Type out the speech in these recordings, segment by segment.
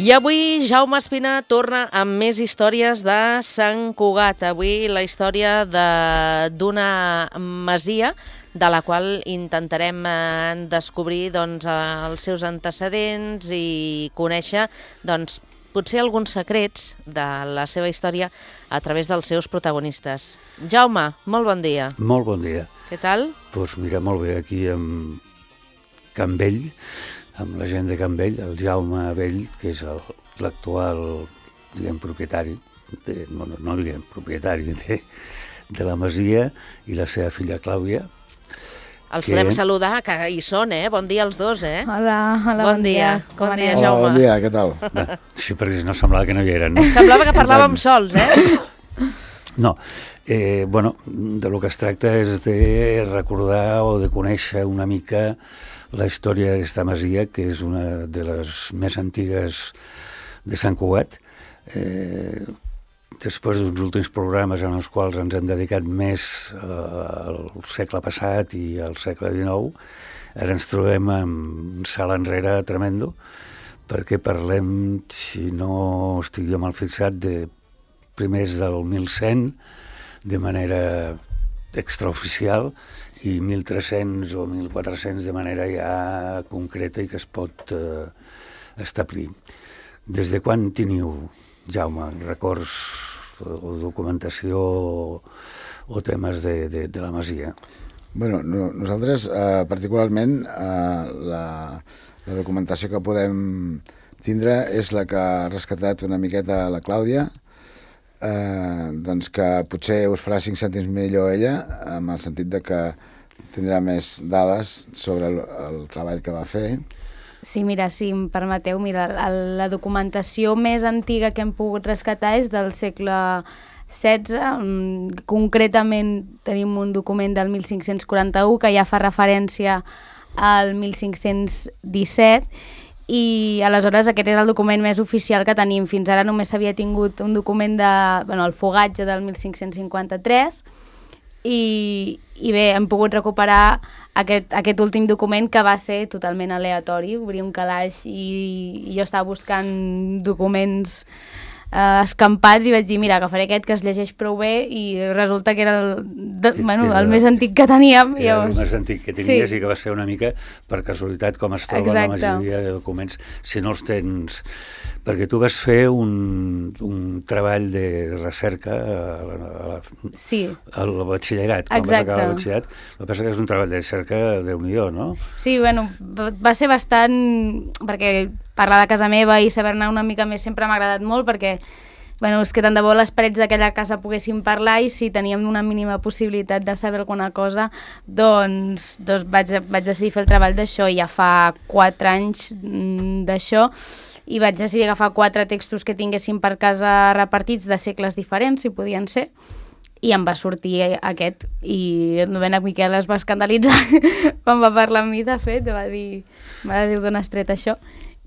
I avui Jaume Espina torna amb més històries de Sant Cugat. Avui la història d'una masia de la qual intentarem descobrir els seus antecedents i conèixer potser alguns secrets de la seva història a través dels seus protagonistes. Jaume, molt bon dia. Molt bon dia. Què tal? Doncs mira, molt bé, aquí amb Can Vell, amb la gent de Can Vell, el Jaume Vell, que és l'actual, propietari, propietari de la masia, i la seva filla Clàudia. Els podem saludar, que hi són, Bon dia als dos, Hola, bon dia. Bon dia, Jaume. Jaume. Bon dia, què tal? Sí, perquè no semblava que no hi eren, no? Semblava que parlàvem sols, No, de lo que es tracta és de recordar o de conèixer una mica la història d'aquesta masia, que és una de les més antigues de Sant Cugat. Després d'uns últims programes en els quals ens hem dedicat més al segle passat i al segle XIX, ara ens trobem amb un salt enrere tremendo, perquè parlem, si no estic jo mal fixat, de primers del 1100, de manera extraoficial, i 1.300 o 1.400 de manera ja concreta i que es pot establir. Des de quan teniu, Jaume, records o documentació o temes de la masia? Bueno, nosaltres, particularment, la documentació que podem tindre és la que ha rescatat una miqueta la Clàudia, doncs que potser us farà 5 cèntims millor ella, en el sentit de que tindrà més dades sobre el treball que va fer. Sí, mira, si em permeteu, la documentació més antiga que hem pogut rescatar és del segle XVI. Concretament tenim un document del 1541 que ja fa referència al 1517, i aleshores aquest és el document més oficial que tenim. Fins ara només s'havia tingut un document el fogatge del 1553, i bé, hem pogut recuperar aquest últim document, que va ser totalment aleatori. Obria un calaix i jo estava buscant documents escampats i vaig dir, mira, agafaré aquest que es llegeix prou bé, i resulta que era el més antic que teníem. Era el més antic que tenies, sí. I que va ser una mica per casualitat com es troba la majoria de documents, si no els tens. Perquè tu vas fer un treball de recerca al batxillerat, quan vas acabar el batxillerat. El que passa que és un treball de recerca Déu-n'hi-do, no? Sí, va ser bastant... perquè parlar de casa meva i saber-ne una mica més sempre m'ha agradat molt, perquè és que tant de bo les parets d'aquella casa poguessin parlar, i si teníem una mínima possibilitat de saber alguna cosa, doncs vaig decidir fer el treball d'això, i ja fa 4 anys d'això, i vaig decidir agafar 4 textos que tinguessin per casa repartits de segles diferents, si podien ser, i em va sortir aquest, i el novena Miquel es va escandalitzar quan va parlar amb mi, de fet, va dir, mare de Déu, d'on has tret això?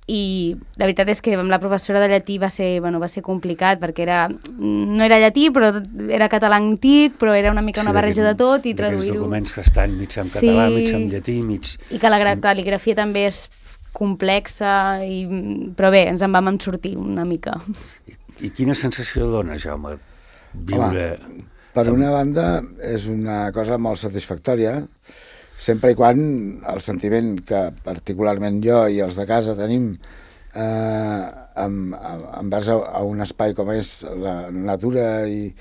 I la veritat és que amb la professora de llatí va ser complicat, perquè no era llatí, però era català antic, però era una mica una barreja de tot, i traduir-ho... Aquests documents que estan mig en català, mig en llatí, mig... I que la cal·ligrafia també és complexa, però bé, ens en vam sortir una mica. I quina sensació dona, Jaume, viure... Home, per una banda, és una cosa molt satisfactòria, sempre i quan el sentiment que particularment jo i els de casa tenim envers a un espai com és la natura i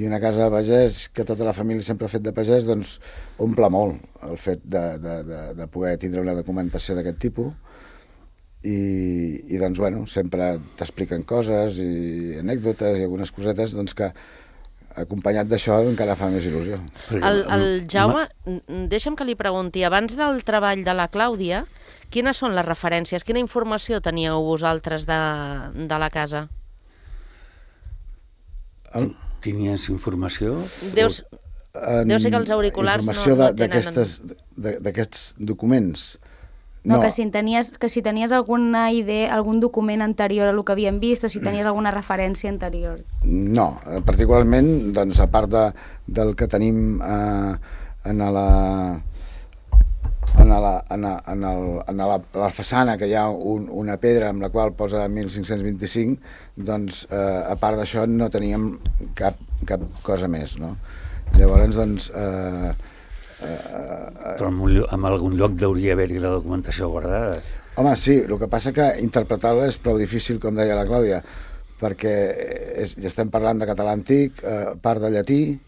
una casa de pagès, que tota la família sempre ha fet de pagès, doncs omple molt el fet de poder tindre una documentació d'aquest tipus, i doncs, sempre t'expliquen coses i anècdotes i algunes cosetes, doncs que acompanyat d'això encara fa més il·lusió. El Jaume, deixa'm que li pregunti, abans del treball de la Clàudia, quines són les referències? Quina informació teníeu vosaltres de la casa? Tenies informació? Deu ser que els auriculars no tenen... Informació d'aquests documents? No, que si tenies alguna idea, algun document anterior a el que havíem vist, o si tenies alguna referència anterior. No, particularment, doncs, a part del que tenim en la façana, que hi ha una pedra amb la qual posa 1525, doncs, a part d'això, no teníem cap cosa més, no? Llavors, doncs... Però en algun lloc deuria haver-hi la documentació guardada. Home, sí, el que passa que interpretar-la és prou difícil, com deia la Clàudia, perquè ja estem parlant de català antic, part de llatí,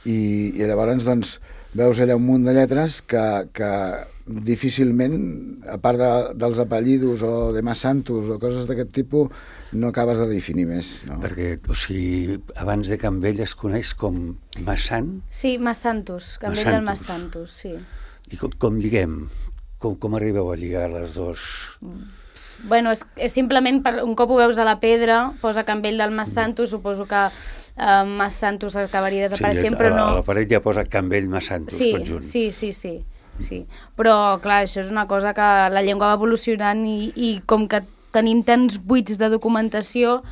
i llavors, doncs, veus allà un munt de lletres que difícilment, a part dels apellidos o de Mas Santos o coses d'aquest tipus, no acabes de definir més. No? Perquè, o sigui, abans de Campbell es coneix com Massan? Sí, Mas Santos, Campbell del Mas Santos, sí. I com lliguem? Com arribeu a lligar les dos? Bueno, és simplement, un cop ho veus a la pedra, posa Campbell del Mas Santos, suposo que Mas Santos acabaria desapareixent, però no... A la paret ja posa Campbell Mas Santos, tot junt. Sí. Però, clar, això és una cosa que la llengua va evolucionant i com que tenim tants buits de documentació,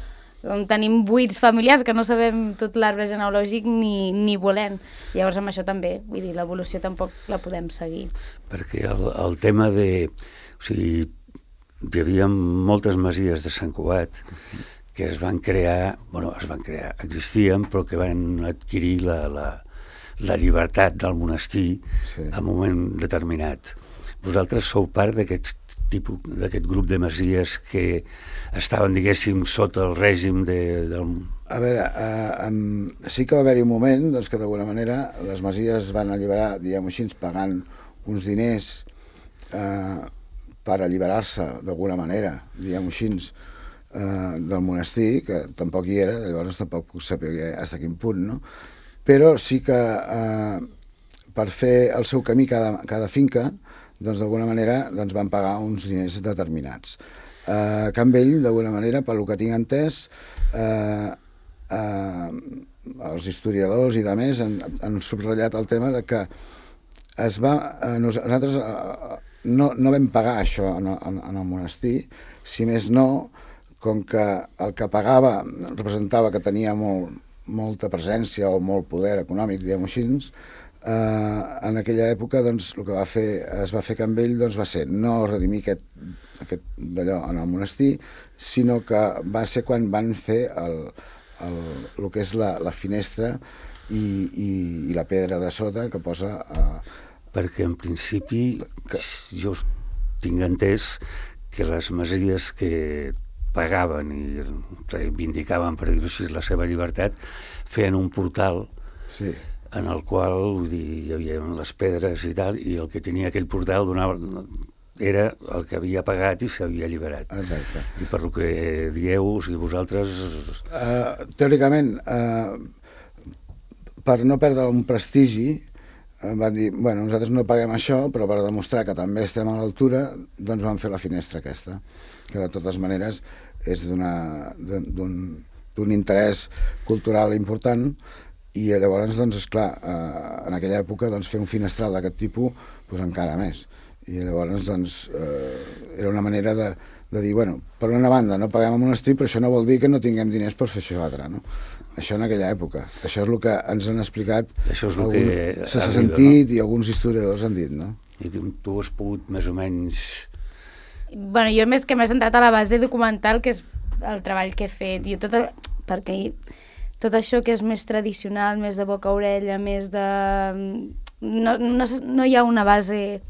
tenim buits familiars que no sabem tot l'arbre genealògic ni volem. Llavors, amb això també, vull dir, l'evolució tampoc la podem seguir. Perquè el tema de... O sigui, hi havia moltes masies de Sant Cugat que es van crear, existien, però que van adquirir la llibertat del monestir en un moment determinat. Vosaltres sou part d'aquest grup de masies que estaven, diguéssim, sota el règim del... A veure, sí que va haver-hi un moment doncs, que d'alguna manera les masies van alliberar, diguem-ho així, pagant uns diners per alliberar-se d'alguna manera, diguem-ho així, del monestir, que tampoc hi era, llavors tampoc puc saber fins a quin punt, no? Però sí que per fer el seu camí cada finca, doncs d'alguna manera van pagar uns diners determinats. Campbell, d'alguna manera, pel que tinc entès, els historiadors i de més han subratllat el tema de que nosaltres no vam pagar això en el monestir, si més no, com que el que pagava representava que tenia molta presència o molt poder econòmic, diguem-ho així, en aquella època doncs, el que es va fer Campbell doncs, va ser no redimir aquest d'allò en el monestir, sinó que va ser quan van fer el que és la finestra i la pedra de sota que posa... Perquè en principi jo tinc entès que les masies que pagaven i reivindicaven, per dir-ho així, la seva llibertat, feien un portal en el qual, vull dir, hi havia les pedres i tal, i el que tenia aquell portal era el que havia pagat i s'havia alliberat. Exacte. I per lo que dieu, o sigui, vosaltres... Teòricament, per no perdre un prestigi, van dir, bueno, nosaltres no paguem això, però per demostrar que també estem a l'altura, doncs vam fer la finestra aquesta, que de totes maneres és d'un interès cultural important, i llavors, doncs, esclar, en aquella època fer un finestral d'aquest tipus, doncs encara més. I llavors, doncs, era una manera de dir, bueno, per una banda no paguem al monestir, però això no vol dir que no tinguem diners per fer això altre, no? Això en aquella època. Això és el que ens han explicat, s'ha sentit i alguns historiadors han dit, no? I tu has pogut més o menys... Bueno, jo més que m'he centrat a la base documental, que és el treball que he fet, perquè tot això que és més tradicional, més de boca a orella, més de... No hi ha una base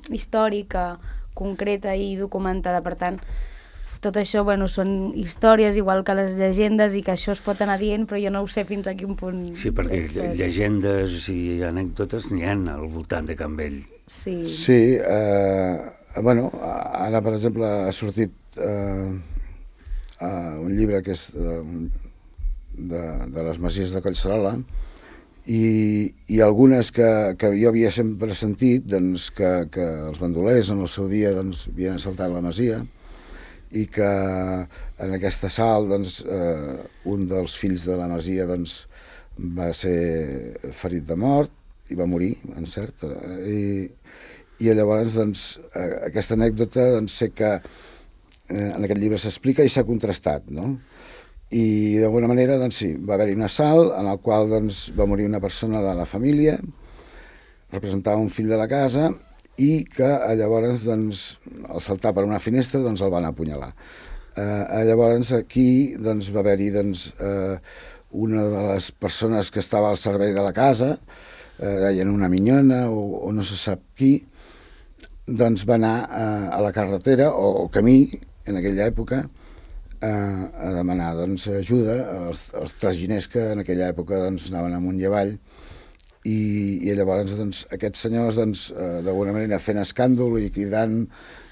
històrica, concreta i documentada, per tant, tot això són històries, igual que les llegendes, i que això es pot anar dient, però jo no ho sé fins a quin punt... Sí, perquè llegendes i anècdotes n'hi ha al voltant de Campbell. Sí. Sí, ara, per exemple, ha sortit un llibre que és de les masies de Collserola, i algunes que jo havia sempre sentit que els bandolers en el seu dia havien assaltat la masia, i que en aquest assalt un dels fills de la masia va ser ferit de mort i va morir, en cert, i llavors aquesta anècdota sé que en aquest llibre s'explica i s'ha contrastat, no? I d'alguna manera sí, va haver-hi un assalt en el qual va morir una persona de la família, representava un fill de la casa, i que llavors, doncs, al saltar per una finestra, doncs el van apunyalar. Llavors aquí doncs, va haver-hi doncs, una de les persones que estava al servei de la casa, deien una minyona o no se sap qui, doncs va anar a la carretera o camí en aquella època a demanar doncs, ajuda als traginers que en aquella època doncs, anaven amunt i avall, i llavors doncs, aquests senyors doncs, d'alguna manera fent escàndol i cridant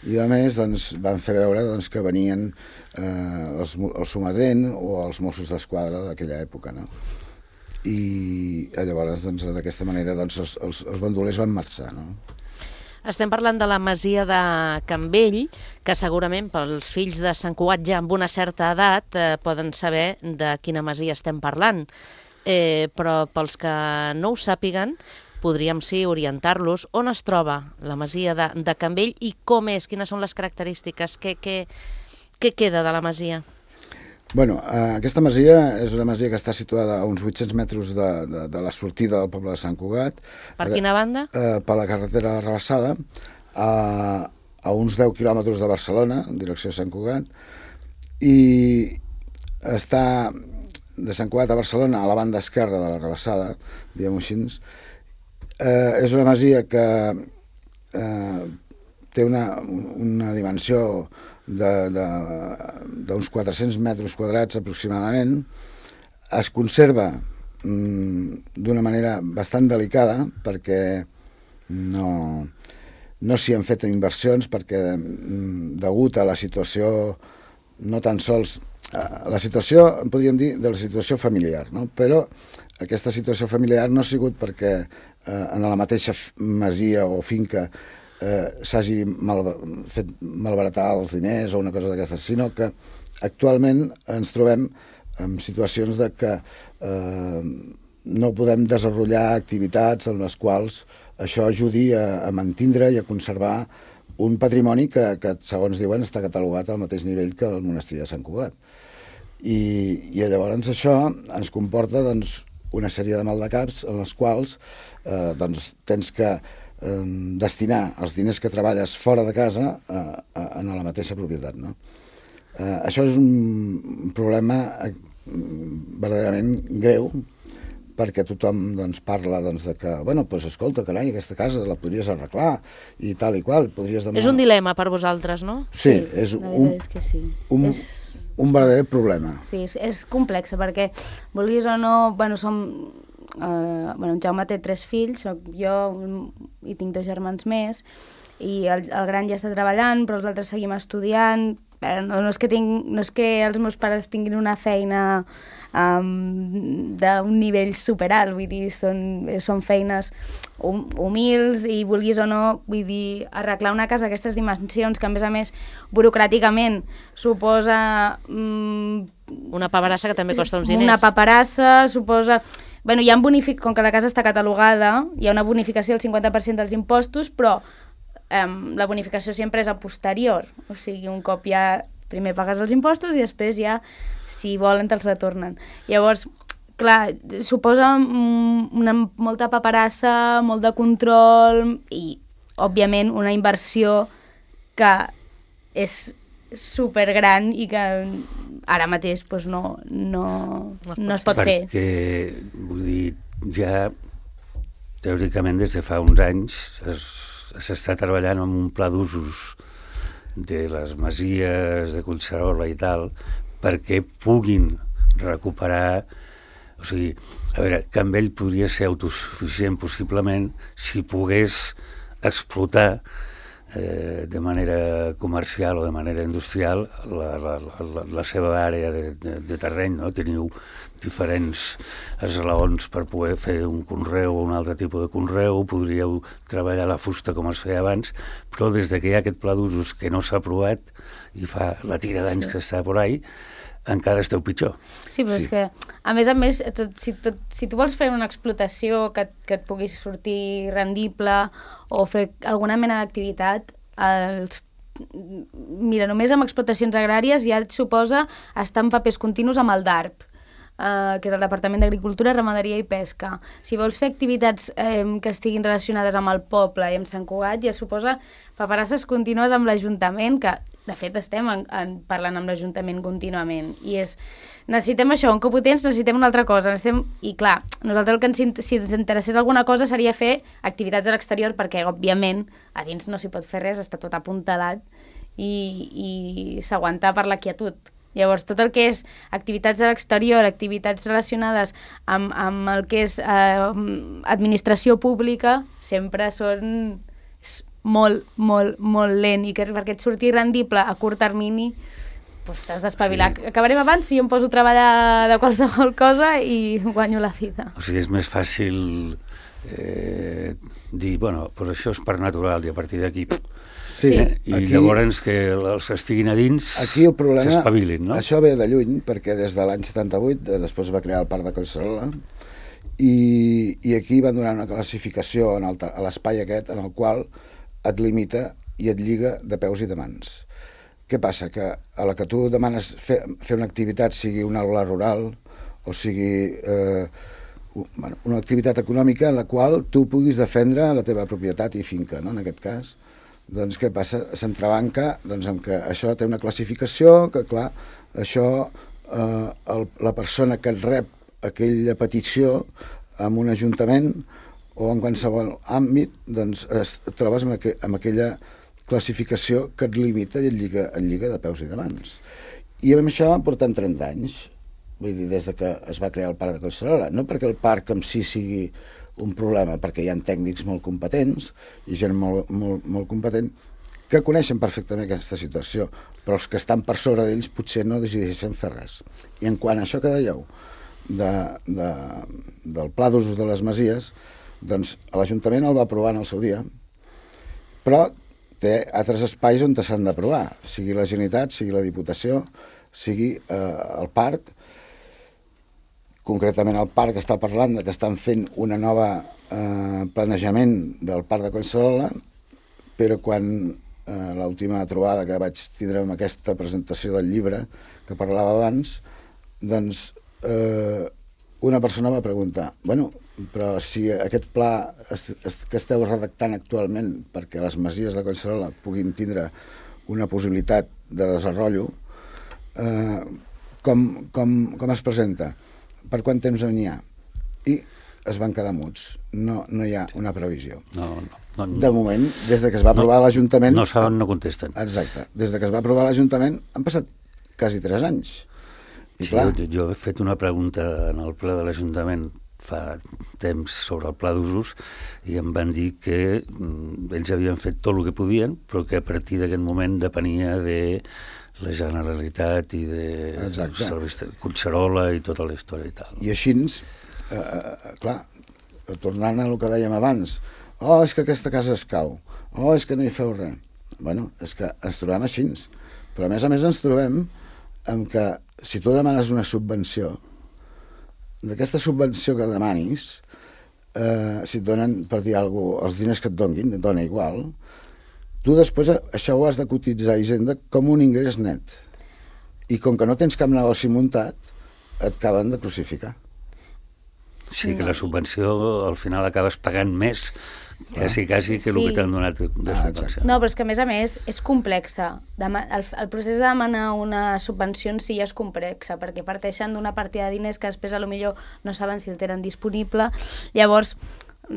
i a més doncs, van fer veure doncs, que venien el sometent o els Mossos d'Esquadra d'aquella època, no? I llavors doncs, d'aquesta manera doncs, els bandolers van marxar, no? Estem parlant de la masia de Can Vell, que segurament pels fills de Sant Cugat ja amb una certa edat poden saber de quina masia estem parlant. Però pels que no ho sàpiguen, podríem sí orientar-los on es troba la masia de Can Vell i com és, quines són les característiques, què queda de la masia? Bueno, aquesta masia és una masia que està situada a uns 800 metres de la sortida del poble de Sant Cugat. Per quina banda? Per la carretera de la Rabassada, a uns 10 quilòmetres de Barcelona, en direcció a Sant Cugat, i està de Sant Cugat a Barcelona a la banda esquerra de la Rabassada, diguem-ho així. És una masia que té una dimensió d'uns 400 metres quadrats aproximadament. Es conserva d'una manera bastant delicada perquè no s'hi han fet inversions, perquè degut a la situació, no tan sols la situació, podríem dir, de la situació familiar, no? Però aquesta situació familiar no ha sigut perquè en la mateixa masia o finca s'hagi fet malbaratar els diners o una cosa d'aquestes, sinó que actualment ens trobem en situacions de que no podem desenvolupar activitats en les quals això ajudi a mantindre i a conservar un patrimoni que, segons diuen, està catalogat al mateix nivell que el monestir de Sant Cugat. I llavors això ens comporta doncs, una sèrie de maldecaps en les quals doncs, tens que destinar els diners que treballes fora de casa a la mateixa propietat, no? Això és un problema verdaderament greu, perquè tothom doncs, parla doncs, de que, bueno, doncs, escolta, carai, aquesta casa la podries arreglar i tal i qual. Podries demanar... És un dilema per vosaltres, no? Sí, és un verdader problema. Sí, és complex, perquè vulguis o no, bueno, en Jaume té 3 fills, soc jo i tinc 2 germans més, i el gran ja està treballant, però els altres seguim estudiant. No és que els meus pares tinguin una feina d'un nivell superalt, vull dir, són feines humils i vulguis o no, vull dir, arreglar una casa d'aquestes dimensions que a més burocràticament suposa una paperassa que també costa uns diners. Una paperassa suposa... Bueno, com que la casa està catalogada, hi ha una bonificació del 50% dels impostos, però la bonificació sempre és a posterior. O sigui, un cop ja primer pagues els impostos i després ja, si volen, te'ls retornen. Llavors, clar, suposa molta paperassa, molt de control i, òbviament, una inversió que és supergran i que ara mateix doncs, no es pot fer. Perquè, vull dir, ja teòricament des de fa uns anys s'està treballant en un pla d'usos de les masies de Collserola i tal, perquè puguin recuperar... O sigui, a veure, Can Vell podria ser autosuficient possiblement si pogués explotar de manera comercial o de manera industrial la seva àrea de terreny, no? Teniu diferents esglaons per poder fer un conreu o un altre tipus de conreu, podríeu treballar la fusta com es feia abans, però des que hi ha aquest pla d'usos que no s'ha aprovat i fa la tira d'anys que està por ahí, encara esteu pitjor. Sí, però és que, a més, si tu vols fer una explotació que et pugui sortir rendible o fer alguna mena d'activitat, mira, només amb explotacions agràries ja et suposa estar en papers continus amb el DARP. que és el Departament d'Agricultura, Ramaderia i Pesca. Si vols fer activitats que estiguin relacionades amb el poble i amb Sant Cugat, ja suposa paperasses contínues amb l'Ajuntament, que de fet estem parlant amb l'Ajuntament contínuament. I necessitem això, un cop ho tens, necessitem una altra cosa. I clar, nosaltres si ens interessés alguna cosa seria fer activitats a l'exterior, perquè òbviament a dins no s'hi pot fer res, està tot apuntalat i s'aguanta per la quietud. Llavors, tot el que és activitats a l'exterior, activitats relacionades amb el que és administració pública, sempre és molt, molt, molt lent, i que perquè et surti rendible a curt termini, doncs t'has d'espavilar. Sí. Acabarem abans si jo em poso a treballar de qualsevol cosa i guanyo la vida. O sigui, és més fàcil dir, bueno, doncs això és part natural i a partir d'aquí... Sí, i aquí, llavors que els que estiguin a dins s'espavilin, no? Això ve de lluny, perquè des de l'any 78, després va crear el Parc de Collserola, i aquí van donar una classificació a l'espai aquest, en el qual et limita i et lliga de peus i de mans. Què passa? Que a la que tu demanes fer una activitat, sigui una aula rural, o sigui una activitat econòmica en la qual tu puguis defendre la teva propietat i finca, no? En aquest cas, doncs què passa? S'entrebanca amb que això té una classificació, que clar, això la persona que et rep aquella petició en un ajuntament o en qualsevol àmbit, doncs et trobes amb aquella classificació que et limita i et lliga de peus i de mans. I amb això portem 30 anys, vull dir, des que es va crear el Parc de Collserola, no perquè el parc en si sigui un problema, perquè hi ha tècnics molt competents i gent molt competent que coneixen perfectament aquesta situació, però els que estan per sobre d'ells potser no decideixen fer res. I en quant a això que dèieu del pla d'usos de les masies, doncs l'Ajuntament el va aprovar en el seu dia, però té altres espais on s'han d'aprovar, sigui la Generalitat, sigui la Diputació, sigui el parc. Concretament el parc està parlant que estan fent una nova planejament del Parc de Collserola, però quan l'última trobada que vaig tindre amb aquesta presentació del llibre que parlava abans, doncs una persona va preguntar, bueno, però si aquest pla que esteu redactant actualment perquè les masies de Collserola puguin tindre una possibilitat de desenvolupament, com es presenta? Per quant temps n'hi ha? I es van quedar muts. No hi ha una previsió. No. De moment, des que es va aprovar l'Ajuntament... No saben, no contesten. Exacte. Des que es va aprovar l'Ajuntament han passat quasi 3 anys. I sí, clar... jo he fet una pregunta en el ple de l'Ajuntament fa temps sobre el pla d'usos i em van dir que ells havien fet tot el que podien, però que a partir d'aquest moment depenia de la Generalitat i de Collserola i tota la història i tal. I així, clar, tornant a el que dèiem abans, és que aquesta casa es cau, és que no hi feu res. Bueno, és que ens trobem així, però a més ens trobem amb que si tu demanes una subvenció, d'aquesta subvenció que demanis, si et donen, per dir alguna cosa, els diners que et donin, et dona igual, tu després això ho has de cotitzar a Hisenda com un ingrés net. I com que no tens cap negoci muntat, et acaben de crucificar. Sí, que la subvenció al final acabes pagant més quasi que el que t'han donat de subvenció. No, però és que a més és complexa. El procés de demanar una subvenció en si ja és complexa, perquè parteixen d'una partida de diners que després potser no saben si el tenen disponible. Llavors,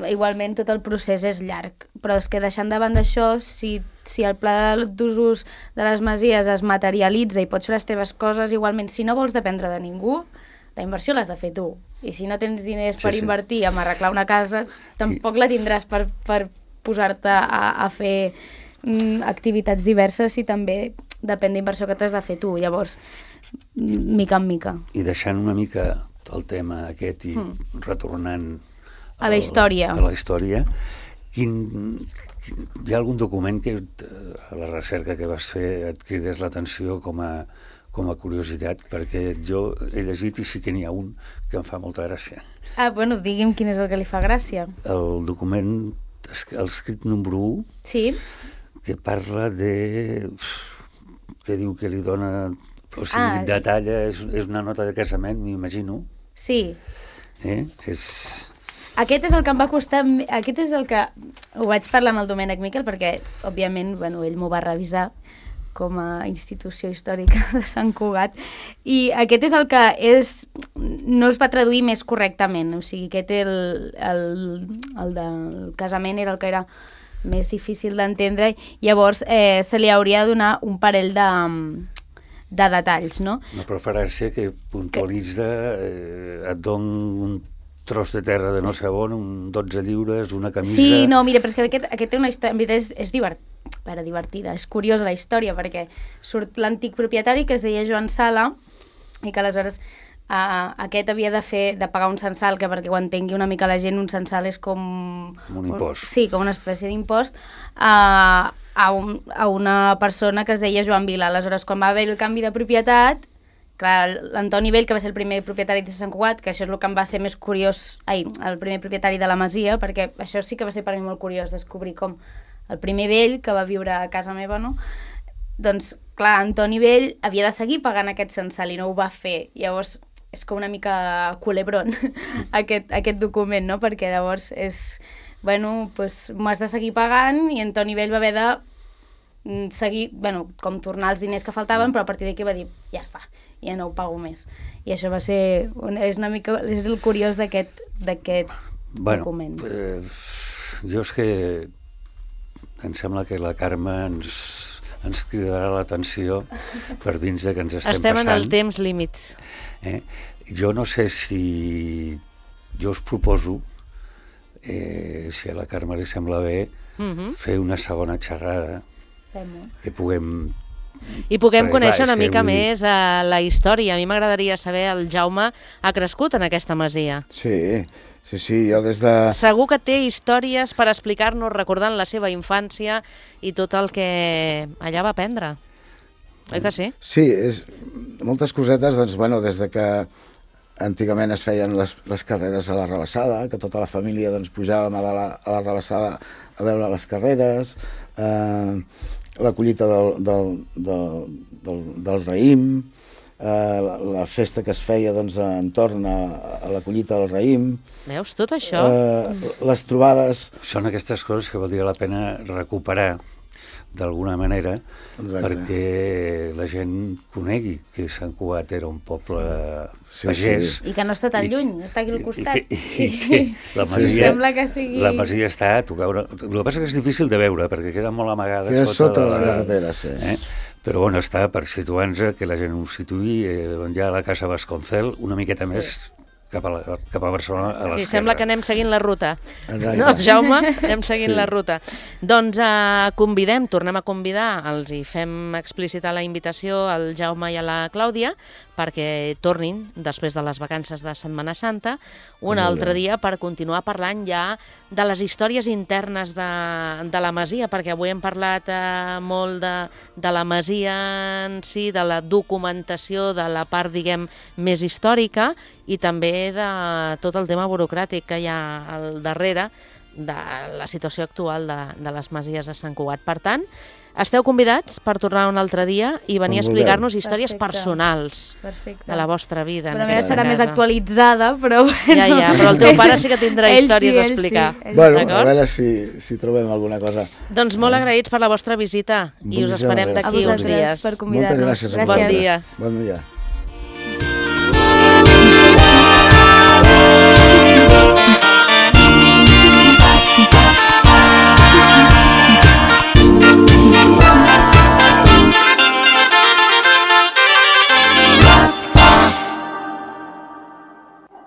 igualment tot el procés és llarg, però és que deixant de banda això, si el pla d'usos de les masies es materialitza i pots fer les teves coses, igualment, si no vols dependre de ningú, la inversió l'has de fer tu. I si no tens diners per invertir en arreglar una casa, tampoc la tindràs per posar-te a fer activitats diverses i també depèn d'inversió que t'has de fer tu. Llavors, mica en mica. I deixant una mica el tema aquest i retornant a la història. Hi ha algun document que a la recerca que vas fer et cridés l'atenció com a curiositat, perquè jo he llegit i sí que n'hi ha un que em fa molta gràcia. Bueno, digui'm quin és el que li fa gràcia. El document, el escrit número 1, sí, que parla que diu que li dona... O sigui, detalla, és una nota de casament, m'imagino, Sí. És... Aquest és el que em va costar... Aquest és el que... Ho vaig parlar amb el Domènec Miquel perquè, òbviament, ell m'ho va revisar com a institució històrica de Sant Cugat, i aquest és el que no es va traduir més correctament, o sigui, aquest el del casament era el que era més difícil d'entendre, llavors se li hauria de donar un parell de detalls, no? Una preferència que puntualitza, et don un tros de terra de no sé on, 12 lliures, una camisa... Sí, no, mira, però és que aquest té una història, en veritat és divertida, és curiosa la història, perquè surt l'antic propietari que es deia Joan Sala, i que aleshores aquest havia de pagar un censal, que perquè ho entengui una mica la gent, un censal és com... un impost. Sí, com una espècie d'impost, a una persona que es deia Joan Vila. Aleshores, quan va haver el canvi de propietat, clar, l'Antoni Vell, que va ser el primer propietari de Sant Cugat, que això és el que em va ser més curiós, el primer propietari de la masia, perquè això sí que va ser per mi molt curiós, descobrir com el primer vell que va viure a casa meva, no? Doncs, clar, Antoni Vell havia de seguir pagant aquest censal i no ho va fer. Llavors, és com una mica culebrón aquest document, no? Perquè llavors és, bueno, doncs m'ho has de seguir pagant, i Antoni Vell va haver de seguir, bueno, com tornar els diners que faltaven, però a partir d'aquí va dir, ja està, ja no ho pago més. I això va ser, és una mica, és el curiós d'aquest document. Jo és que em sembla que la Carme ens cridarà l'atenció per dins de que ens estem en passant. el temps límit. Jo no sé si... Jo us proposo, si a la Carme li sembla bé, fer una segona xerrada que puguem... I puguem conèixer una mica més la història. A mi m'agradaria saber, el Jaume ha crescut en aquesta masia. Sí, jo des de... Segur que té històries per explicar-nos, recordant la seva infància i tot el que allà va aprendre. Oi que sí? Sí, moltes cosetes, doncs, bueno, des de que antigament es feien les carreres a la Rabassada, que tota la família doncs, pujàvem a la Rabassada a veure les carreres, la collita del raïm, la festa que es feia doncs, entorn a la collita del raïm. Veus, tot això? Les trobades... Són aquestes coses que valdria la pena recuperar d'alguna manera. Exacte. Perquè la gent conegui que Sant Cugat era un poble pagès. I que no està tan lluny, està aquí al costat. I que la masia, sembla que sigui... La masia està a tocar... El que passa és és difícil de veure, perquè queda molt amagada sota la carretera, sí. Però bueno, està per situar-nos, que la gent ho situï, on hi ha la Casa Vasconcel, una miqueta més cap a Barcelona, a l'esquerra. Sí, sembla que anem seguint la ruta. No, Jaume? Anem seguint la ruta. Doncs tornem a convidar, els hi fem explicitar la invitació al Jaume i a la Clàudia perquè tornin, després de les vacances de Setmana Santa, un altre dia per continuar parlant ja de les històries internes de la masia, perquè avui hem parlat molt de la masia en si, de la documentació, de la part, diguem, més històrica, i també de tot el tema burocràtic que hi ha al darrere de la situació actual de les masies de Sant Cugat. Per tant, esteu convidats per tornar un altre dia i venir a explicar-nos històries personals de la vostra vida. La meva serà més actualitzada, però... Ja, però el teu pare sí que tindrà històries a explicar. Bueno, a veure si trobem alguna cosa. Doncs molt agraïts per la vostra visita i us esperem d'aquí uns dies. Per convidar-nos. Moltes gràcies. Bon dia. Bon dia.